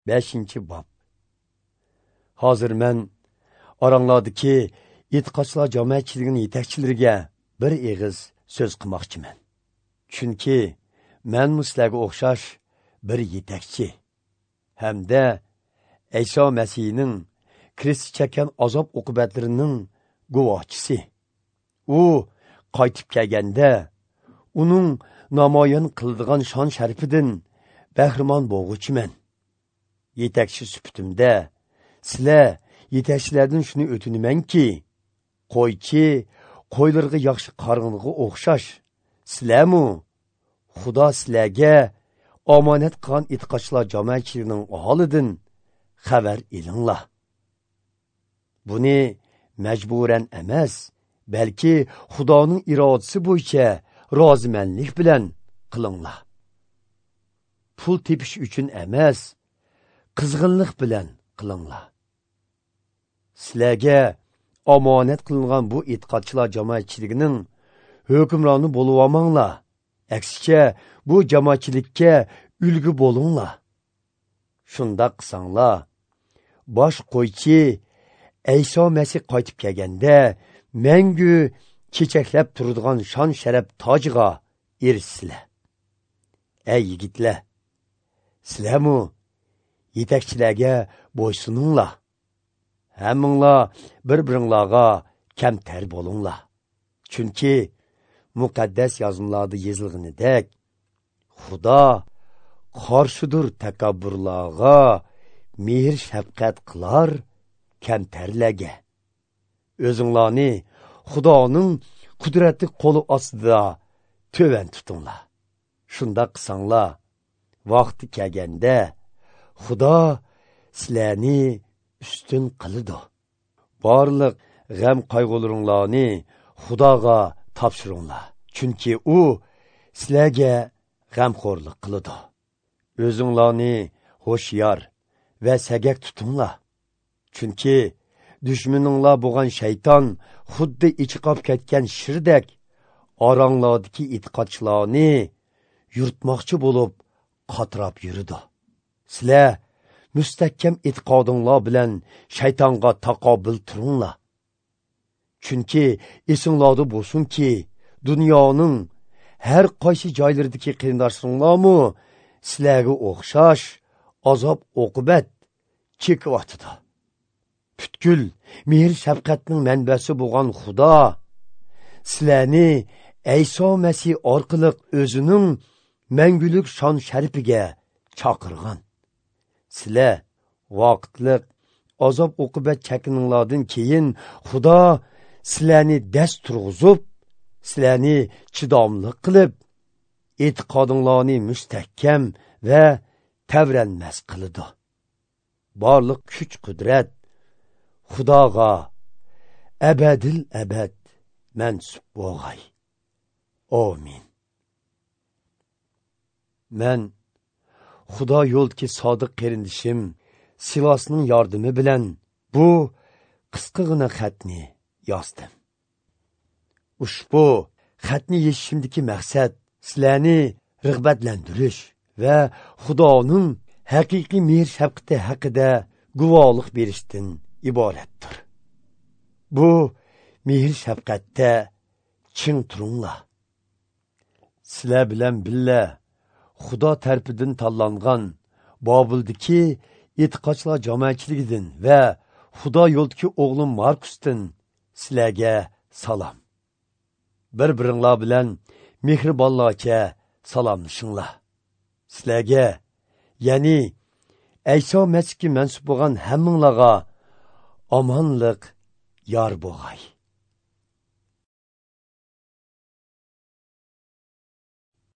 5-bob. Hozir men oranglardagi e'tiqodchilar jamoatchiligining yetakchilariga bir og'iz so'z qilmoqchiman. Chunki men sizlarga o'xshash bir yetakchi hamda Ayso Masihning Krist chekkan azob oqibatlarining guvohchisi. U qaytib kelganda uning namoyon qiladigan shon sharifidan bahramon bo'lg'uchiman. Yetakchi sifatimda sizlar yetakchilardan shuni o'tinamanki, qo'ychi qo'ylarga yaxshi qarg'inga o'xshash sizlarmu Xudo sizlarga omonat qilgan e'tiqodchilar jamoatchiligining holidan xabar elinglar. Buni majburan emas, balki Xudoning irodasi bo'yicha rozimanlik bilan qilinglar. Pul tepish uchun emas, qizg'inlik bilan qilinglar. Sizlarga omonat qilingan bu e'tiqodchilar jamoatchiligining hukmroni bo'lib olmanglar. Aksicha bu jamoatchilikka ulgu bo'linglar. Shundoq qilsanglar, bosh qo'ychi Ayso Masih qaytib kelganda mangu chechaklab turadigan shon sharaf tojiga erishsizlar. Ey yigitlar, sizlarmu yetakchilarga bo'ysuninglar. Hammanglar bir-biringlarga kamtar bo'linglar. Chunki muqaddas yozmalarda yozilganidek, Xudo qarshidir takabburlarga, mehr shafqat qilar kamtarlarga. O'zinglarni Xudoning qudratli qo'li ostida tuvan tutinglar. Shundoq qilsanglar, vaqti kelganda Xudo sizlarni ustun qiladi. Barliq g'am qayg'ularinglarni Xudoga topshiringlar. Chunki u sizlarga g'amxo'rlik qiladi. O'zinglarni ho'shyor va sagak tutinglar. Chunki dushmaninglar bo'lgan shayton xuddi ichiqob ketgan shirdek oranglardagi e'tiqodchilarni yurtmoqchi bo'lib qatrab yuridi. Sizlar mustahkam e'tiqodinglar bilan shaytonga taqobil turinglar. Chunki esinglarda bo'lsinki, dunyoning har qaysi joylaridagi qarindoshlaringlarmi sizlarga o'xshash azob oqibat chekyotidi. Butkul mehr shafqatning manbasi bo'lgan Xudo sizlarni Ayso Masih orqali o'zining mangulik shon sharifiga chaqirgan. Sizlar vaqtliq azob oqibat chekkaninglardan keyin Xudo sizlarni dast turg'izib, sizlarni chidamli qilib, e'tiqodinglarni mustahkam va tavranmas qiladi. Barliq kuch qudrat Xudoga abadil abad mansub bo'lg'ay. Amin. Men Xudo yo'ldagi sodiq qarindishim Silasning yordami bilan bu qisqagina xatni yozdim. Ushbu xatni yozishimdagi maqsad sizlarni rag'batlantirish va Xudoning haqiqiy mehr shafqati haqida guvohlik berishdan iboratdir. Bu mehr shafqatda ching turinglar. Sizlar bilan billa Xudo tarafidan tanlangan Bobuldagi e'tiqodchilar jamoatchiligidan va Xudo yo'ldagi o'g'lim Markusdan sizlarga salom. Bir-biringlar bilan mehribonlarcha salomlashinglar. Sizlarga, ya'ni Ayso Masihga mansub bo'lgan hammanglarga omonlik yor bo'lg'ay.